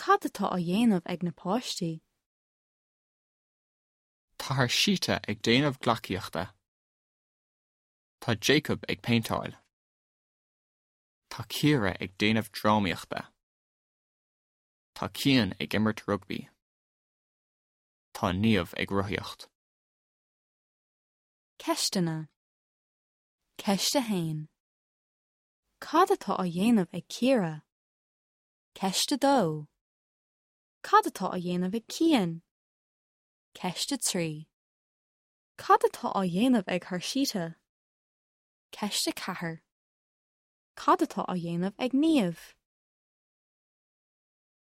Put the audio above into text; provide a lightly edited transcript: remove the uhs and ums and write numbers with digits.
Cad atá á dhéanamh ag na páistí? Tá Harshita ag déanamh gleacaíochta. Tá Jacob ag péinteáil. Tá Ciara ag déanamh drámaíochta. Tá Cian ag imirt rugbaí. Tá Niamh ag rothaíocht. Ceisteanna. Ceist 1. Cad atá á dhéanamh ag Ciara? Ceist 2. Cad atá á dhéanamh ag Cian? Ceist 3. Cad atá á dhéanamh ag Harshita? Ceist 4. Cad atá á dhéanamh ag Niamh?